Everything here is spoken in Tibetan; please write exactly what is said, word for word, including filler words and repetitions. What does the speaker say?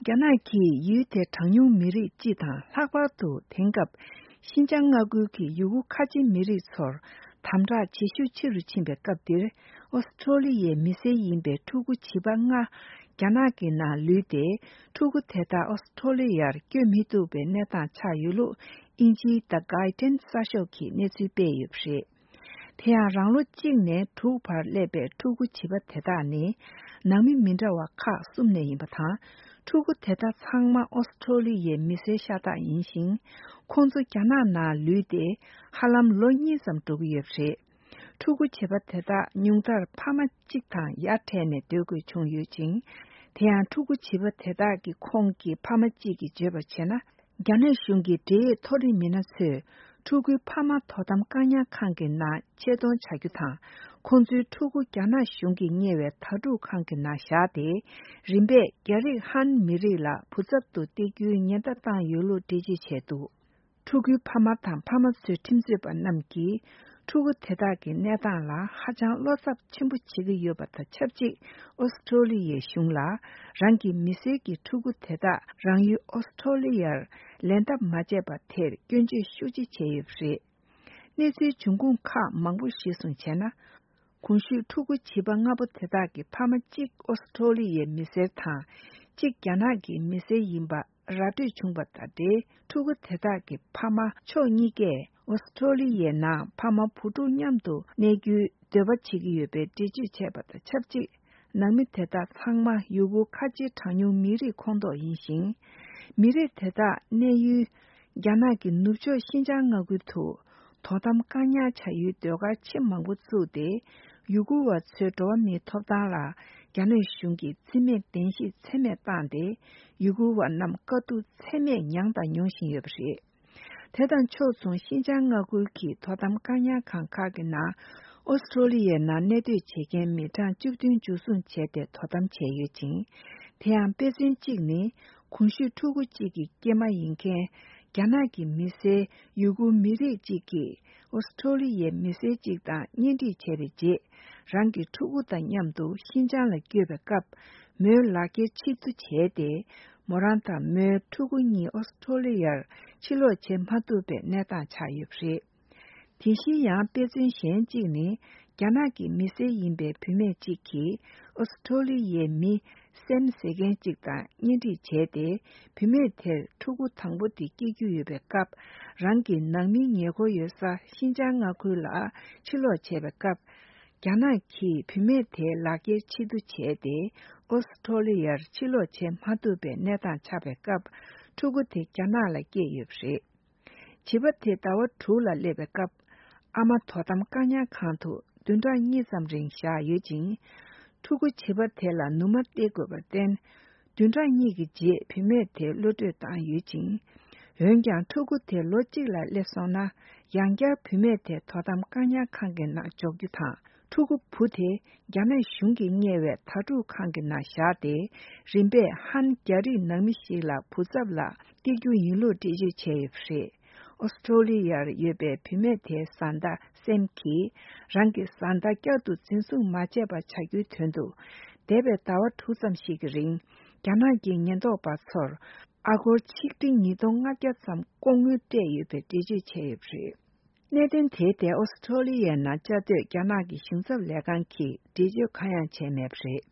རྒྱ་ནག་གིས་ཡུལ་དེའི་གྲངས་ཉུང་མི་རིགས་སྤྱི་དང་ལྷག་པར་དུ་དེང་སྐབས་ཤིན་ཅང་མངའ་ཁུལ་གྱི་ཡུ་གུར་ཁ་ཆེ་མི་རིགས་ཚོར་དམ་དྲག་ཇེ་ཤུགས་ཆེ་རུ་ཕྱིན་པའི་སྐབས་འདིར། ཨོ་སི་ཁྲོ་ལི་ཡའི་མི་སེར་ཡིན་པའི་ཕྲུ་གུ་བྱིས་པ་ལྔ་རྒྱ་ནག་གི་ནང་ལུས་ཏེ། ཕྲུ་གུ་དེ་དག་ཨོ་སི་ཁྲོ་ལི་ཡར་བསྐྱོད་མི་ཐུབ་པའི་གནས་སྟངས་ཆགས་ཡོད་ལུགས་དབྱིན་ཇིའི་The Guardian གསར་ཤོག་གིས་གནས་ཚུལ་སྤེལ་ཡོད་པ་རེད། དེ་ཡང་རང་ལོ་གཅིག་ནས་དྲུག་བར་སླེབས་པའི་ཕྲུ་གུ་བྱིས་པ་དེ་དག་ནི་ནང་མི་མི་འདྲ་བ་ཁག་གསུམ་ནས་ཡིན་པ་དང་། ཕྲུ་གུ་དེ་དག་ཚང་མ་ཨོ་སི་ཁྲོ་ལི་ཡའི་མི་སེར་ཤ་སྟག་ཡིན་ཞིང་། ཁོང་ཚོ་རྒྱ་ནག་ནང་ལུས་ཏེ་ཧ་ལམ་ལོ་གཉིས་ཙམ་འགྲོ་གི་ཡོད་པ་རེད། ཕྲུ་གུ་བྱིས་པ་དེ་དག་ཉུང་མཐར་ཕ་མ་གཅིག་དང་ཡར་འཕྲད་ནས་སྡོད་དགོས་བྱུང་ཡོད་ཅིང་། དེ་ཡང་ཕྲུ་གུ་བྱིས་པ་དེ་དག་གི་ཁོངས་ཀྱི་ཕ་མ་གཅིག་གིས་བརྗོད་པར་བྱས་ན། རྒྱ་ནག་གཞུང་གི་འབྲེལ་ཡོད་མཐོ་རིམ་མི་སྣ་ཚོས་ཕྲུ་གུའི་ཕ་མ་དོ་དམ་བཀག་ཉར་ཁང་གི་ནང་ཆེད་གཏོང་བྱ་རྒྱུ་དང་། ཁོང་ཚོའི་ཕྲུ་གུ་རྒྱ་ནག་གཞུང་གིས་གཉེར་བའི་དྭ་ཕྲུག་ཁང་གི་ནང་བཞག་སྟེ། རིམ་པས་རྒྱ་རིགས་ཧན་མི་རིགས་ལ་བུ་ཚབ་ཏུ་སྟེར་རྒྱུའི་ཉེན་བརྡ་བཏང་ཡོད་ལུགས་འགྲེལ་བརྗོད་བྱས་འདུག་ཕྲུ་གུའི་ཕ་མ་དང་ཕ་མ་ཚོའི་ཁྲིམས་རྩོད་པ་རྣམས་ཀྱིས། ཕྲུ་གུ་དེ་དག་གི་གནས་སྟངས་ལ་ཧ་ཅང་བློ་འཚབ་ཆེན་པོ་བྱེད་ཀྱི་ཡོད་པ་དང་ཆབས་ཅིག་ཨོ་སི་ཁྲོ་ལི་ཡའི་གཞུང་ལ། རང་གི་མི་སེར་གྱི་ཕྲུ་གུ་དེ་དག་རང་ཡུལ་ཨོ་སི་ཁྲོ་ལི་ཡར་ལེན་ཐབས་མ་བྱས་པ་དེར་སྐྱོན་བརྗོད་ཤུགས་ཆེ་བྱས་ཡོད་པ་རེད། གནས་ཚུལ་འབྱུང་ཁུངས་ཁག་མང་པོ་གཞིར་བཟུང་བྱས་ན། གོང་ཞུས་ཕྲུ་གུ་བྱིས་པ་ལྔ་པོ་དེ་དག་གི་ཕ་མ་གཅིག་ཨོ་སི་ཁྲོ་ལི་ཡའི་མི་སེར་དང་། གཅིག་རྒྱ་ནག་གི་མི་སེར་ཡིན་པ་ར་སྤྲོད་བྱུང་བ་དང་འབྲེལ། ཕྲུ་གུ་དེ་དག་གི་ཕ་མ་ཕྱོགས་གཉིས་ཀས་ཨོ་སི་ཁྲོ་ལི་ཡའི་ནང་ཕ་མ་བུ་ཕྲུག་མཉམ་དུ་གནས་རྒྱུའི་འདོད་པ་བྱེད་ཀྱི་ཡོད་པའི་འགྲེལ་བརྗོད་བྱས་པ་དང་ཆབས་ཅིག་ནང་མི་དེ་དག་ཚང་མ་ཡུ་གུར་ཁ་ཆེའི་གྲངས་ཉུང་མི་རིགས་ཁོངས་གཏོགས་ཡིན་ཞིང་། མི་རིགས་དེ་དག་གནས་ཡུལ་རྒྱ་ནག་གི་ནུབ་ཕྱོགས་ཤིན་ཅང་མངའ་ཁུལ་དུ་དོ་དམ་བཀག་ཉར་བྱ་ཡུལ་སྡོད་སྒར་ཆེས་མང་པོ་བཙུགས་ཏེ། ཡུ་གུར་བ་ཚོའི་འགྲོ་བ་མིའི་ཐོབ་ཐང་ལ་རྒྱ་ནག་གཞུང་གིས་བརྩི་མེད་གདན་ཞུ་ཚད་མེད་བཏང་སྟེ། ཡུ་གུར་བ་རྣམས་དཀའ་སྡུག་ཚད་མེད་མྱངས་དང་མྱོང་བཞིན་ཡོད་པ་རེད། དེ་དང་ཕྱོགས་མཚུངས་ཤིན་ཅང་མངའ་ཁུལ་གྱི་དོ་དམ་བཀག་ཉར་ཁང་ཁག་གི་ནང་། ཨོ་སི་ཁྲོ་ལི་ཡའི་ནང་གནས་སྡོད་བྱེད་མཁན་མི་གྲངས་བཅུ་བདུན་འཇུ་བཟུང་བྱས་ཏེ་དོ་དམ་བྱས་ཡོད་ཅིང་། དེ་ཡང་དཔེ་མཚོན་གཅིག་ནི། གོང་ཞུས་ཕྲུ་གུ་གཅིག་གི་སྐྱེས་མ་ཡིན་མཁན་རྒྱ་ནག་གི་མི་སེར་ཡུ་གུར་མི་རིགས་གཅིག་གིས་ཨོ་སི་ཁྲོ་ལི་ཡའི་མི་སེར་གཅིག་དང་གཉེན་སྒྲིག་བྱས་པའི་རྗེས། རང་གི་ཕྲུ་གུ་དང་མཉམ་དུ་ཤིན་ཅང་ལ་བསྐྱོད་པའི་སྐབས། མོའི་ལག་འཁྱེར་ཕྱིར་བསྡུ་བྱས་ཏེ། མོ་རང་དང་མོའི་ཕྲུ་གུ་གཉིས་ཨོ་སི་ཁྲོ་ལི་ཡར་ཕྱིར་ལོག་བྱེད་མ་ཐུབ་པའི་གནས་སྟངས་ཆགས་ཡོད་པ་རེད། དེ་བཞིན་ཡང་དཔེ་མཚོན་གཞན་གཅིག་ནི། རྒྱ་ནག་གི་མི་སེར་ཡིན་པའི་བུད་མེད་ཅིག་གིས་ཨོ་སི་ཁྲོ་ལི་ཡའི་མི་སེམ་ཟེར་མཁན་ཅིག་དང་གཉེན་སྒྲིག་བྱས་ཏེ། བུད་མེད་དེར་ཕྲུ་གུ་དང་པོ་དེ་སྐྱེ་རྒྱུ་ཡོད་པའི་སྐབས། རང་གི་ནང་མི་ཉེ་འཁོར་ཡོད་ས་ཤིན་ཅང་མངའ་ཁུལ་ལ་ཕྱིར་ལོག་བྱས་པའི་སྐབས། རྒྱ་ནག་གིས་བུད་མེད་དེའི་ལག་འཁྱེར་ཕྱིར་བསྡུ་བྱས་ཏེ། ཨོ་སི་ཁྲོ་ལི་ཡར་ཕྱིར་ལོག་བྱེད་མ་ཐུབ་པའི་གནས་སྟངས་ཆགས་པའི་སྐབས། ཕྲུ་གུ་དེ་རྒྱ་ནག་ལ་སྐྱེས་ཡོད་པ་རེད། བྱིས་པ་དེ་ཟླ་བ་དྲུག་ལ་སླེབས་པའི་སྐབས། ཨ་མ་དོ་དམ་བཀག་ཉར་ཁང་དུ་བདུན་ཕྲག་གཉིས་ཙམ་རིང་བཞག་ཡོད་ཅིང་། ཕྲུ་གུ་བྱིས་པ་དེ་ལ་ནུ་མ་སྟེར་དགོས་པར་བརྟེན། བདུན་ཕྲག་གཉིས་ཀྱི་རྗེས་བུད་མེད་དེ་གློད་བཀྲོལ་བཏང་ཡོད་ཅིང་། འོན་ཀྱང་ཕྲུ་གུ་དེ་ལོ་གཅིག་ལ་སླེབས་སོང་ན། ཡང་བསྐྱར་བུད་མེད་དེ་དོ་དམ་བཀག་ཉར་ཁང་གི་ནང་འཇོག་རྒྱུ་དང་། ཕྲུ་གུ་བུ་དེ་རྒྱ་ནག་གཞུང་གིས་གཉེར་བའི་དྭ་ཕྲུག་ཁང་གི་ནང་བཞག་སྟེ། རིམ་པས་ཧན་རྒྱ་རིགས་ནང་མི་ཞིག་ལ་བུ་ཚབ་ལ་སྟེར་རྒྱུ་ཡིན་ལུགས་འགྲེལ་བརྗོད་བྱས་ཡོད་པ་རེད། ཨོ་སི་ཁྲོ་ལི་ཡར་ཡོད་པའི་བུད་མེད་དེའི་བཟའ་ཟླ་སེམ་གྱིས། རང་གི་བཟའ་ཟླ་བསྐྱར་དུ་འཛིན་བཟུང་མ་བྱས་པ་བྱ་རྒྱུའི་དོན་དུ། འདས་པའི་ཟླ་བ་དྲུག་ཙམ་ཞིག་གི་རིང་། རྒྱ་ནག་གི་ཉེན་རྟོག་པ་ཚོར་ཨ་སྒོར་ཆིག་ཁྲི་ཉིས་སྟོང་ལྔ་བརྒྱ་ཙམ་ལྐོག་དངུལ་སྤྲད་ཡོད་པའི་འགྲེལ་བརྗོད་བྱས་ཡོད་པ་རེད། གནད་དོན་དེའི་ཐད་ཨོ་སི་ཁྲོ་ལི་ཡའི་ནང་བཅའ་སྡོད་རྒྱ་ནག་གི་གཞུང་ཚབ་ལས་ཁང་གིས་འགྲེལ་བརྗོད་གང་ཡང་བྱས་མེད་པ་རེད།